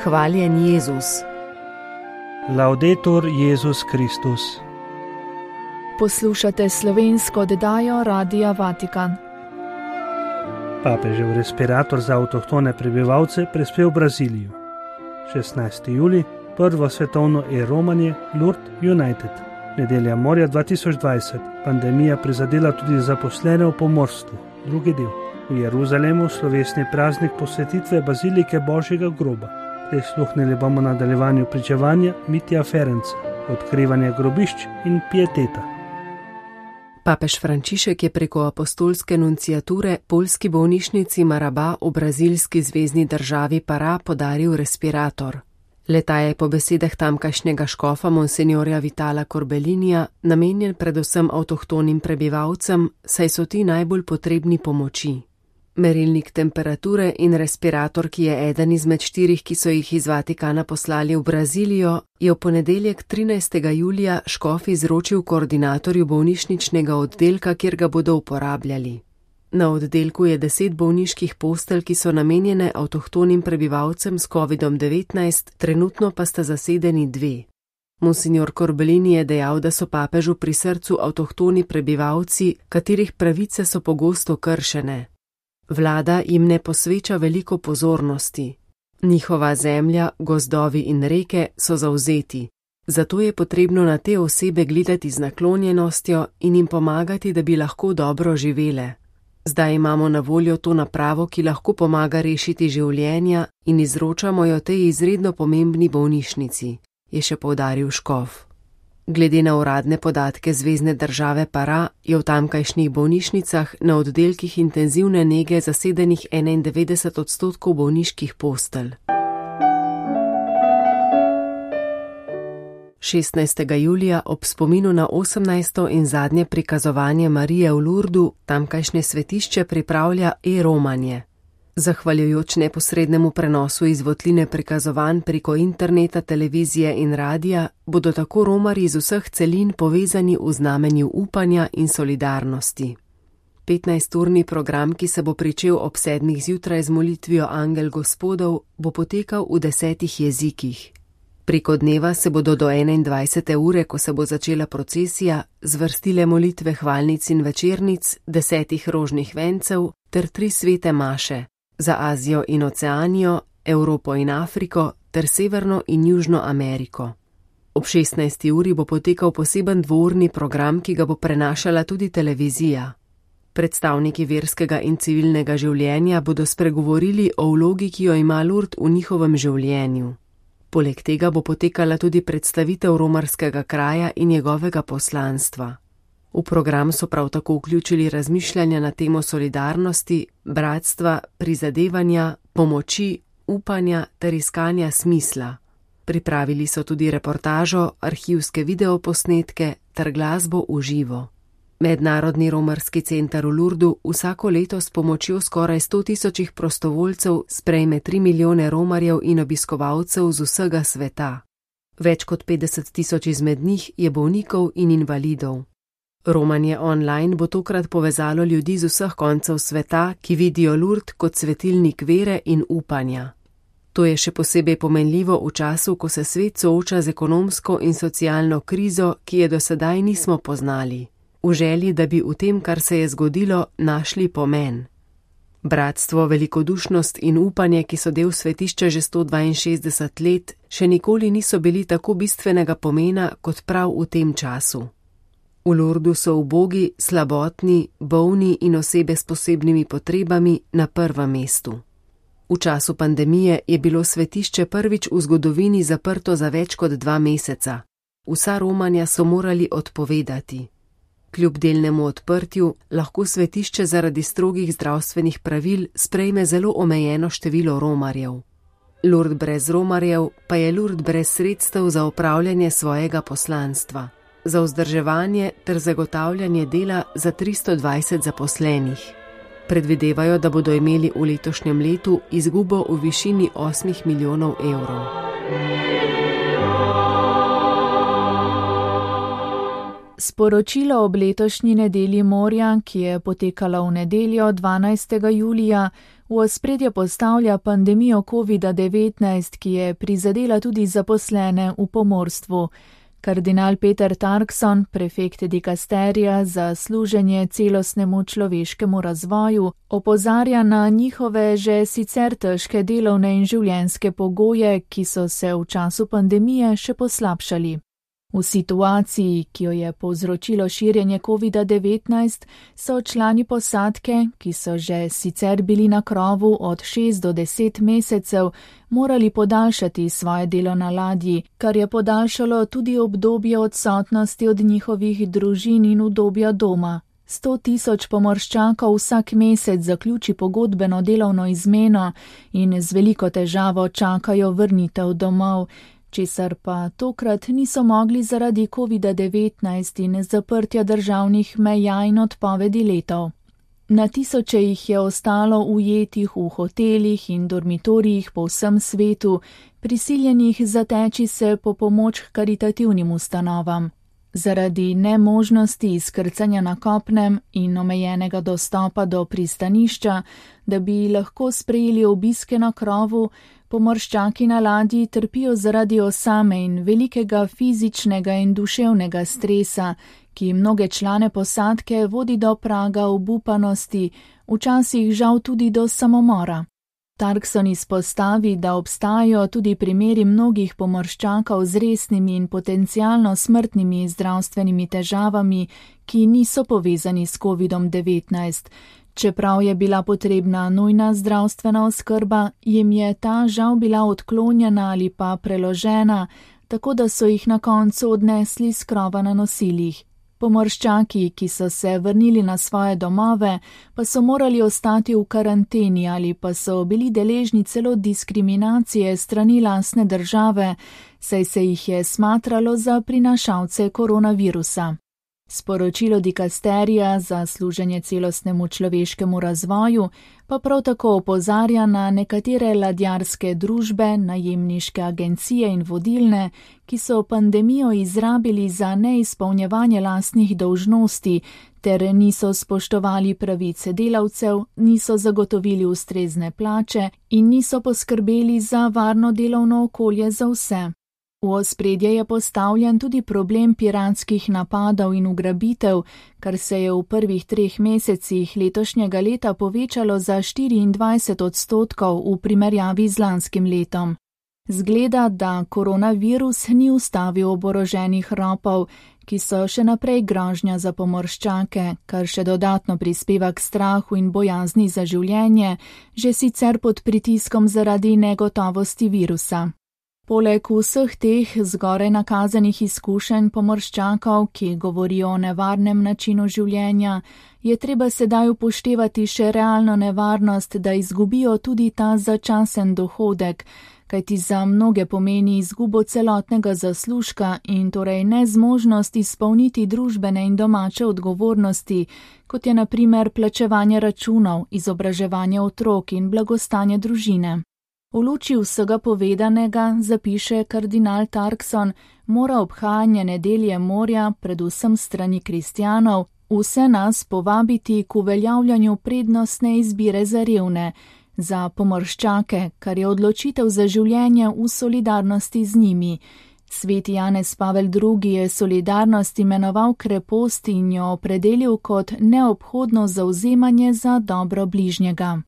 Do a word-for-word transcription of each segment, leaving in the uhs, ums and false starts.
Hvaljen Jezus. Laudetur Jezus Kristus. Poslušate slovensko oddajo Radia Vatikan. Papežev respirator za avtohtone prebivalce prispel v Brazilijo. šestnajsti julij, prvo svetovno e-romanje Lourdes United. Nedelja morja dva tisoč dvajset. Pandemija prizadela tudi zaposlene v pomorstvu. Drugi del. V Jeruzalemu slovesni praznik posvetitve Bazilike Božjega groba. Prisluhnili bomo nadaljevanju pričevanja Mitja Ferenca, odkrivanja grobišč in pieteta. Papež Frančišek je preko apostolske nunciature poljski bolnišnici Marabá v brazilski zvezni državi Pará podaril respirator. Le-ta je po besedah tamkajšnjega škofa monsenjorja Vitala Corbelinija namenjen predvsem avtohtonim prebivalcem, saj so ti najbolj potrebni pomoči. Merilnik temperature in respirator, ki je eden izmed štirih, ki so jih iz Vatikana poslali v Brazilijo, je v ponedeljek trinajstega julija škof izročil koordinatorju bolnišničnega oddelka, kjer ga bodo uporabljali. Na oddelku je deset bolniških postelj, ki so namenjene avtohtonim prebivalcem s kovidom devetnajst, trenutno pa sta zasedeni dve. Monsinjor Corbellini je dejal, da so papežu pri srcu avtohtoni prebivalci, katerih pravice so pogosto kršene. Vlada jim ne posveča veliko pozornosti. Njihova zemlja, gozdovi in reke so zavzeti. Zato je potrebno na te osebe gledati z naklonjenostjo in jim pomagati, da bi lahko dobro živele. Zdaj imamo na voljo to napravo, ki lahko pomaga rešiti življenja in izročamo jo tej izredno pomembni bolnišnici, je še poudaril škof. Glede na uradne podatke zvezne države Pará je v tamkajšnjih bolnišnicah na oddelkih intenzivne nege zasedenih enaindevetdeset odstotkov bolniških postelj. šestnajstega julija ob spominu na osemnajsto in zadnje prikazovanje Marije v Lourdu tamkajšnje svetišče pripravlja e-romanje. Zahvaljujoč neposrednemu prenosu iz votline prikazovanj preko interneta, televizije in radija, bodo tako romarji iz vseh celin povezani v znamenju upanja in solidarnosti. petnajsturni program, ki se bo pričel ob sedmih zjutraj z molitvijo Angel Gospodov, bo potekal v desetih jezikih. Preko dneva se bodo do enaindvajsete ure, ko se bo začela procesija, zvrstile molitve hvalnic in večernic, desetih rožnih vencev ter tri svete maše za Azijo in Oceanijo, Evropo in Afriko ter Severno in Južno Ameriko. Ob šestnajsti uri bo potekal poseben dvourni program, ki ga bo prenašala tudi televizija. Predstavniki verskega in civilnega življenja bodo spregovorili o vlogi, ki jo ima Lourdes v njihovem življenju. Poleg tega bo potekala tudi predstavitev romarskega kraja in njegovega poslanstva. V program so prav tako vključili razmišljanja na temo solidarnosti, bratstva, prizadevanja, pomoči, upanja ter iskanja smisla. Pripravili so tudi reportažo, arhivske videoposnetke ter glasbo v živo. Mednarodni romarski center v Lourdu vsako leto s pomočjo skoraj sto tisočih prostovoljcev sprejme tri milijone romarjev in obiskovalcev z vsega sveta. Več kot petdeset tisoč izmed njih je bolnikov in invalidov. Romanje online bo tokrat povezalo ljudi z vseh koncev sveta, ki vidijo Lourdes kot svetilnik vere in upanja. To je še posebej pomenljivo v času, ko se svet sooča z ekonomsko in socialno krizo, ki je do sedaj nismo poznali. V želji, da bi v tem, kar se je zgodilo, našli pomen. Bratstvo, velikodušnost in upanje, ki so del svetišča že sto dvainšestdeset let, še nikoli niso bili tako bistvenega pomena kot prav v tem času. V Lourdu so ubogi, slabotni, bolni in osebe s posebnimi potrebami na prvem mestu. V času pandemije je bilo svetišče prvič v zgodovini zaprto za več kot dva meseca. Vsa romanja so morali odpovedati. Kljub delnemu odprtju lahko svetišče zaradi strogih zdravstvenih pravil sprejme zelo omejeno število romarjev. Lourdes brez romarjev pa je Lourdes brez sredstev za opravljanje svojega poslanstva, za vzdrževanje ter zagotavljanje dela za tristo dvajset zaposlenih. Predvidevajo, da bodo imeli v letošnjem letu izgubo v višini osmih milijonov evrov. Sporočilo ob letošnji nedelji morja, ki je potekala v nedeljo dvanajstega julija, V ospredje postavlja pandemijo kovida devetnajst, ki je prizadela tudi zaposlene v pomorstvu. Kardinal Peter Turkson, prefekt dikasterija za služenje celostnemu človeškemu razvoju, opozarja na njihove že sicer težke delovne in življenjske pogoje, ki so se v času pandemije še poslabšali. V situaciji, ki jo je povzročilo širjenje kovida devetnajst, so člani posadke, ki so že sicer bili na krovu od šest do deset mesecev, morali podaljšati svoje delo na ladji, kar je podaljšalo tudi obdobje odsotnosti od njihovih družin in udobja doma. Sto tisoč pomorščakov vsak mesec zaključi pogodbeno delovno izmeno in z veliko težavo čakajo vrnitev domov, česar pa tokrat niso mogli zaradi kovida devetnajst in zaprtja državnih meja in odpovedi letov. Na tisoče jih je ostalo ujetih v hotelih in dormitorijih po vsem svetu, prisiljenih zateči se po pomoč k karitativnim ustanovam. Zaradi nemožnosti izkrcanja na kopnem in omejenega dostopa do pristanišča, da bi lahko sprejeli obiske na krovu, pomorščaki na ladji trpijo zaradi osame in velikega fizičnega in duševnega stresa, ki mnoge člane posadke vodi do praga obupanosti, včasih žal tudi do samomora. Turkson izpostavi, da obstajajo tudi primeri mnogih pomorščakov z resnimi in potencialno smrtnimi zdravstvenimi težavami, ki niso povezani s kovidom devetnajst. Čeprav je bila potrebna nujna zdravstvena oskrba, jim je ta žal bila odklonjena ali pa preložena, tako da so jih na koncu odnesli s krova na nosilih. Pomorščaki, ki so se vrnili na svoje domove, pa so morali ostati v karanteni ali pa so bili deležni celo diskriminacije strani lastne države, saj se jih je smatralo za prinašalce koronavirusa. Sporočilo dikasterija za služenje celostnemu človeškemu razvoju pa prav tako opozarja na nekatere ladjarske družbe, najemniške agencije in vodilne, ki so pandemijo izrabili za neizpolnjevanje lastnih dolžnosti ter niso spoštovali pravice delavcev, niso zagotovili ustrezne plače in niso poskrbeli za varno delovno okolje za vse. V ospredje je postavljen tudi problem piratskih napadov in ugrabitev, kar se je v prvih treh mesecih letošnjega leta povečalo za štiriindvajset odstotkov v primerjavi z lanskim letom. Zgleda, da koronavirus ni ustavil oboroženih ropov, ki so še naprej grožnja za pomorščake, kar še dodatno prispeva k strahu in bojazni za življenje, že sicer pod pritiskom zaradi negotovosti virusa. Poleg vseh teh zgoraj nakazanih izkušenj pomorščakov, ki govorijo o nevarnem načinu življenja, je treba sedaj upoštevati še realno nevarnost, da izgubijo tudi ta začasen dohodek, kajti za mnoge pomeni izgubo celotnega zaslužka in torej nezmožnost izpolniti družbene in domače odgovornosti, kot je na primer plačevanje računov, izobraževanje otrok in blagostanje družine. V luči vsega povedanega, zapiše kardinal Turkson, mora obhajanje nedelje morja, predvsem strani kristjanov, vse nas povabiti k uveljavljanju prednostne izbire za revne, za pomorščake, kar je odločitev za življenje v solidarnosti z njimi. Sveti Janez Pavel drugi je solidarnost imenoval krepost in jo opredelil kot neobhodno zavzemanje za dobro bližnjega.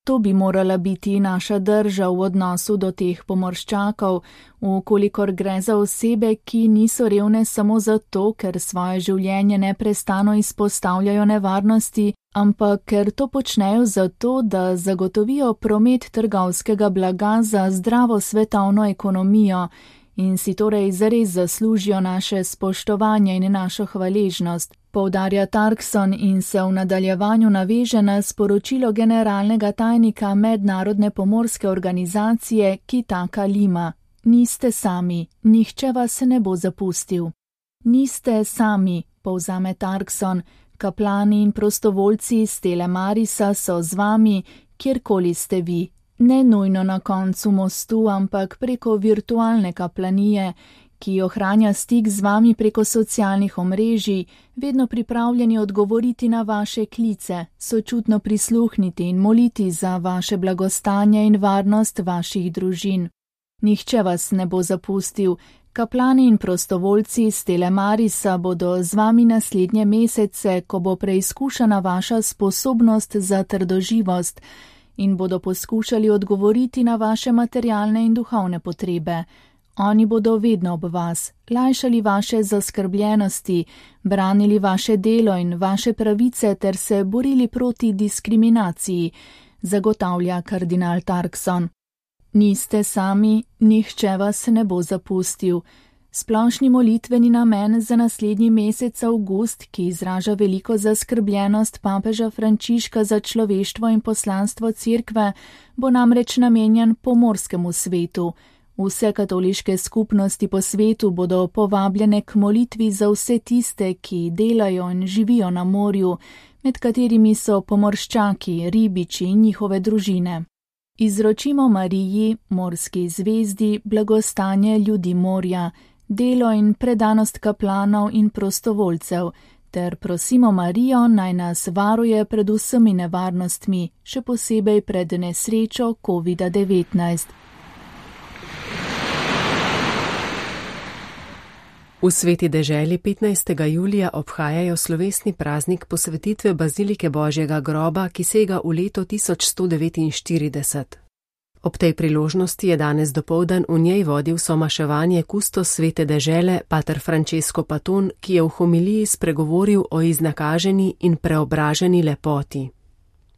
To bi morala biti naša drža v odnosu do teh pomorščakov, vkolikor gre za osebe, ki niso revne samo zato, ker svoje življenje neprestano izpostavljajo nevarnosti, ampak ker to počnejo zato, da zagotovijo promet trgovskega blaga za zdravo svetovno ekonomijo in si torej zares zaslužijo naše spoštovanje in našo hvaležnost, poudarja Turkson in se v nadaljevanju naveže na sporočilo generalnega tajnika Mednarodne pomorske organizacije Kitaka Lima. Niste sami, nihče vas ne bo zapustil. Niste sami, povzame Turkson, kaplani in prostovoljci iz Telemarisa so z vami, kjerkoli ste vi. Ne nujno na koncu mostu, ampak preko virtualne kaplanije, ki ohranja stik z vami preko socialnih omrežij, vedno pripravljeni odgovoriti na vaše klice, sočutno prisluhniti in moliti za vaše blagostanje in varnost vaših družin. Nihče vas ne bo zapustil. Kaplani in prostovoljci iz Telemarisa bodo z vami naslednje mesece, ko bo preizkušana vaša sposobnost za trdoživost, in bodo poskušali odgovoriti na vaše materialne in duhovne potrebe. Oni bodo vedno ob vas, lajšali vaše zaskrbljenosti, branili vaše delo in vaše pravice ter se borili proti diskriminaciji, zagotavlja kardinal Tarkson. Niste sami, nihče vas ne bo zapustil. Splošni molitveni namen za naslednji mesec avgust, ki izraža veliko zaskrbljenost papeža Frančiška za človeštvo in poslanstvo cerkve, bo namreč namenjen pomorskemu svetu. Vse katoliške skupnosti po svetu bodo povabljene k molitvi za vse tiste, ki delajo in živijo na morju, med katerimi so pomorščaki, ribiči in njihove družine. Izročimo Mariji, morski zvezdi, blagostanje ljudi morja, delo in predanost kaplanov in prostovoljcev, ter prosimo Marijo, naj nas varuje pred vsemi nevarnostmi, še posebej pred nesrečo covid devetnajst. V Sveti deželi petnajstega julija obhajajo slovesni praznik posvetitve Bazilike Božjega groba, ki sega v leto tisoč sto devetinštirideset. Ob tej priložnosti je danes dopoldan v njej vodil somaševanje kustos Svete dežele pater Francesco Paton, ki je v homiliji spregovoril o iznakaženi in preobraženi lepoti.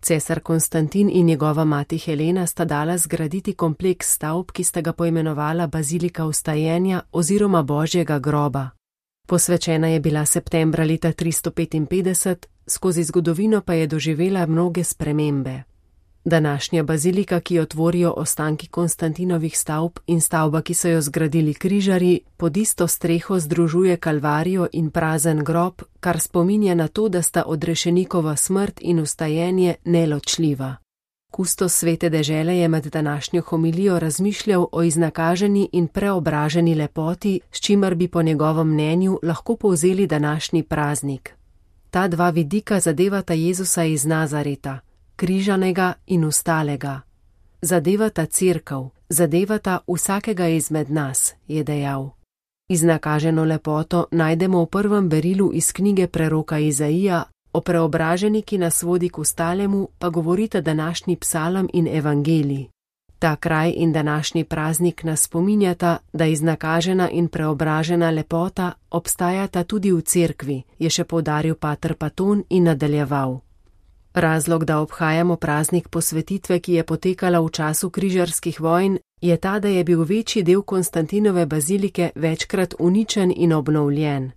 Cesar Konstantin in njegova mati Helena sta dala zgraditi kompleks stavb, ki sta ga poimenovala Bazilika vstajenja oziroma Božjega groba. Posvečena je bila septembra leta tristo petinpetdeset, skozi zgodovino pa je doživela mnoge spremembe. Današnja bazilika, ki jo tvorijo ostanki Konstantinovih stavb in stavba, ki so jo zgradili križarji, pod isto streho združuje kalvarijo in prazen grob, kar spominja na to, da sta odrešenikova smrt in vstajenje neločljiva. Kustos Svete dežele je med današnjo homilijo razmišljal o iznakaženi in preobraženi lepoti, s čimer bi po njegovem mnenju lahko povzeli današnji praznik. Ta dva vidika zadevata Jezusa iz Nazareta, križanega in vstalega. Zadevata cerkev, zadevata vsakega izmed nas, je dejal. Iznakaženo lepoto najdemo v prvem berilu iz knjige preroka Izaija, o preobraženi, ki nas vodi k vstalemu, pa govorita današnji psalm in evangelij. Ta kraj in današnji praznik nas spominjata, da iznakažena in preobražena lepota obstajata tudi v cerkvi, je še poudaril pater Paton in nadaljeval. Razlog, da obhajamo praznik posvetitve, ki je potekala v času križarskih vojn, je ta, da je bil večji del Konstantinove bazilike večkrat uničen in obnovljen.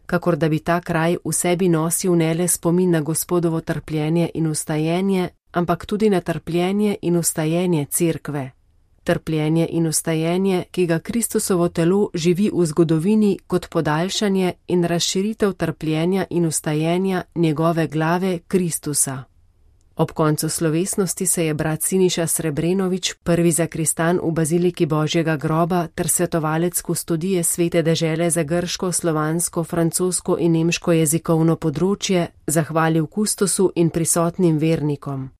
Kakor da bi ta kraj v sebi nosil ne le spomin na Gospodovo trpljenje in vstajenje, ampak tudi na trpljenje in vstajenje cerkve. Trpljenje in vstajenje, ki ga Kristusovo telo živi v zgodovini kot podaljšanje in razširitev trpljenja in vstajenja njegove glave Kristusa. Ob koncu slovesnosti se je brat Siniša Srebrenovič, prvi zakristan v Baziliki Božjega groba ter svetovalec kustodije Svete dežele za grško, slovansko, francosko in nemško jezikovno področje, zahvalil kustosu in prisotnim vernikom.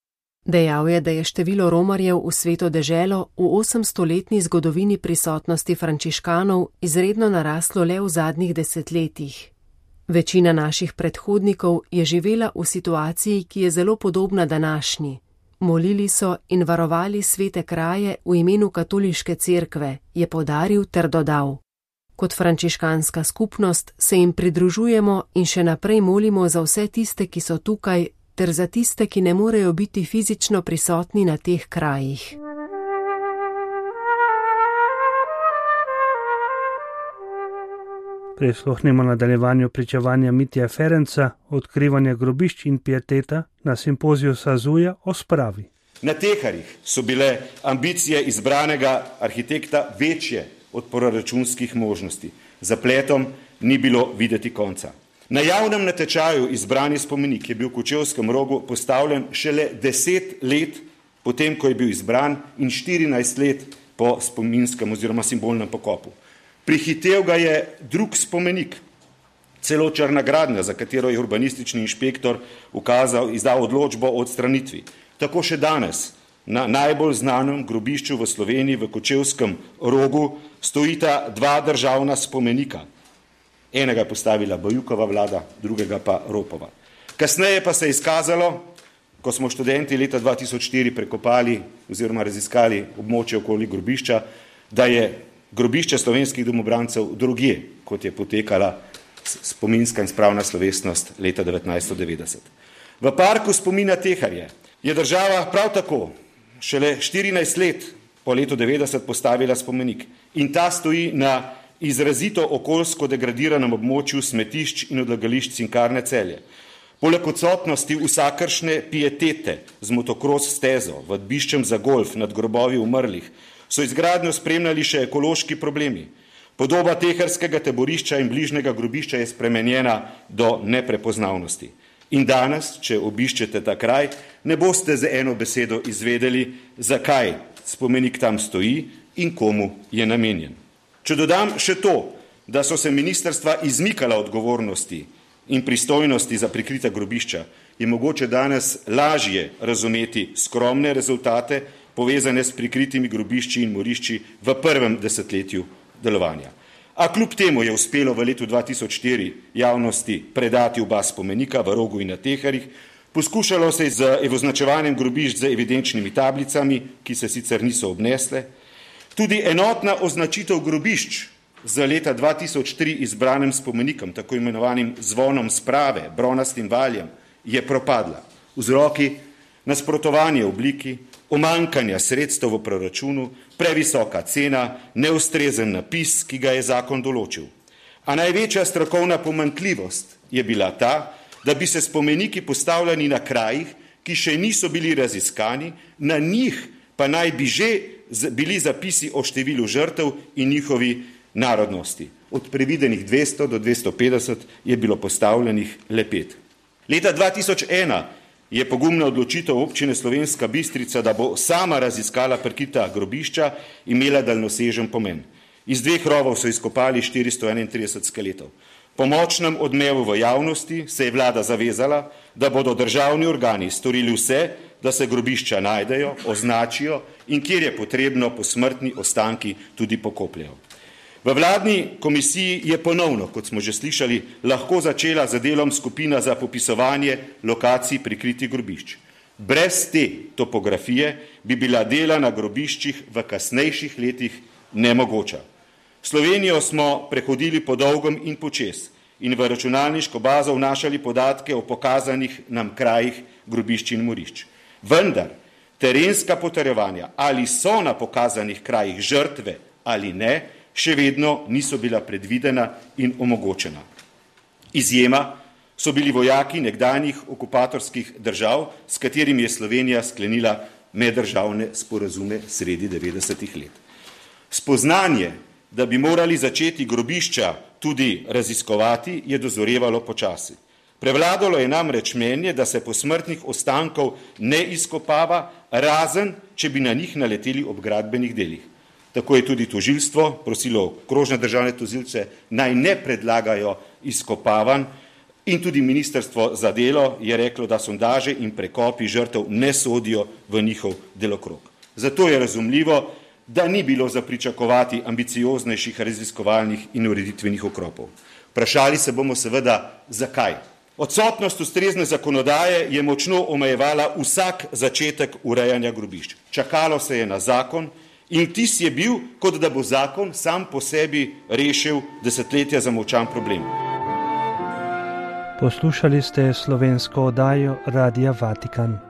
Dejal je, da je število romarjev v Sveto deželo v osemstoletni zgodovini prisotnosti frančiškanov izredno naraslo le v zadnjih desetletjih. Večina naših predhodnikov je živela v situaciji, ki je zelo podobna današnji. Molili so in varovali svete kraje v imenu katoliške cerkve, je poudaril ter dodal. Kot frančiškanska skupnost se jim pridružujemo in še naprej molimo za vse tiste, ki so tukaj, ter za tiste, ki ne morejo biti fizično prisotni na teh krajih. Prisluhnimo nadaljevanju pričevanja Mitja Ferenca, odkrivanja grobišč in pieteta na simpoziju Sazuja o spravi. Na Teharjih so bile ambicije izbranega arhitekta večje od proračunskih možnosti. Zapletom ni bilo videti konca. Na javnem natečaju izbrani spomenik je bil v Kočevskem rogu postavljen šele deset let potem, ko je bil izbran in štirinajst let po spominskem oziroma simbolnem pokopu. Prihitev ga je drug spomenik, celo Črna gradnja, za katero je urbanistični inšpektor ukazal, izdal odločbo o odstranitvi. Tako še danes na najbolj znanem grobišču v Sloveniji, v Kočevskem Rogu, stojita dva državna spomenika. Enega je postavila Bajukova vlada, drugega pa Ropova. Kasneje pa se je izkazalo, ko smo študenti leta dva tisoč štiri prekopali oziroma raziskali območje okoli grobišča, da je grobišče slovenskih domobrancev drugje, kot je potekala spominska in spravna slovesnost leta devetnajststo devetdeset. V parku spomina Teharje je država prav tako šele štirinajst let po letu devetdeset postavila spomenik in ta stoji na izrazito okoljsko degradiranem območju smetišč in odlagališč Cinkarne Celje. Poleg odsotnosti vsakršne pietete z motokros stezo, vadbiščem za golf nad grobovi umrlih, so izgradnjo spremljali še ekološki problemi. Podoba teharskega taborišča in bližnjega grobišča je spremenjena do neprepoznavnosti. In danes, če obiščete ta kraj, ne boste z eno besedo izvedeli, zakaj spomenik tam stoji in komu je namenjen. Če dodam še to, da so se ministrstva izmikala odgovornosti in pristojnosti za prikrita grobišča, je mogoče danes lažje razumeti skromne rezultate povezane s prikritimi grobišči in morišči v prvem desetletju delovanja. A kljub temu je uspelo v letu dva tisoč štiri javnosti predati oba spomenika v Rogu in na Teharjih, poskušalo se je z označevanjem grobišč z evidenčnimi tablicami, ki se sicer niso obnesle. Tudi enotna označitev grobišč za leta dva tisoč tri izbranim spomenikom, tako imenovanim zvonom sprave, bronastim valjem, je propadla. Vzroki: nasprotovanje obliki, omankanja sredstev v proračunu, previsoka cena, neustrezen napis, ki ga je zakon določil. A največja strokovna pomanjkljivost je bila ta, da bi se spomeniki postavljali na krajih, ki še niso bili raziskani, na njih pa naj bi že bili zapisi o številu žrtev in njihovi narodnosti. Od previdenih dvesto do dvesto petdeset je bilo postavljenih le pet. Leta dva tisoč ena je pogumna odločitev občine Slovenska Bistrica, da bo sama raziskala prikrita grobišča, imela daljnosežen pomen. Iz dveh rovov so izkopali štiristo enaintrideset skeletov. Po močnem odmevu v javnosti se je vlada zavezala, da bodo državni organi storili vse, da se grobišča najdejo, označijo in kjer je potrebno posmrtni ostanki tudi pokopljejo. V vladni komisiji je ponovno, kot smo že slišali, lahko začela z delom skupina za popisovanje lokacij prikritih grobišč. Brez te topografije bi bila dela na grobiščih v kasnejših letih nemogoča. Slovenijo smo prehodili po dolgem in počez in v računalniško bazo vnašali podatke o pokazanih nam krajih grobišč in morišč. Vendar terenska potrjevanja, ali so na pokazanih krajih žrtve ali ne, še vedno niso bila predvidena in omogočena. Izjema so bili vojaki nekdanjih okupatorskih držav, s katerimi je Slovenija sklenila meddržavne sporazume sredi devetdesetih let. Spoznanje, da bi morali začeti grobišča tudi raziskovati, je dozorevalo počasi. Prevladalo je namreč mnenje, da se posmrtnih ostankov ne izkopava, razen če bi na njih naleteli ob gradbenih delih. Tako je tudi tožilstvo prosilo okrožne državne tožilce, naj ne predlagajo izkopavanj, in tudi ministrstvo za delo je reklo, da sondaže in prekopi žrtev ne sodijo v njihov delokrog. Zato je razumljivo, da ni bilo za pričakovati ambicioznejših raziskovalnih in ureditvenih ukrepov. Vprašali se bomo seveda, zakaj. Odsotnost ustrezne zakonodaje je močno omejevala vsak začetek urejanja grobišč. Čakalo se je na zakon in vtis je bil, kot da bo zakon sam po sebi rešil desetletja zamolčan problem. Poslušali ste slovensko oddajo Radia Vatikan.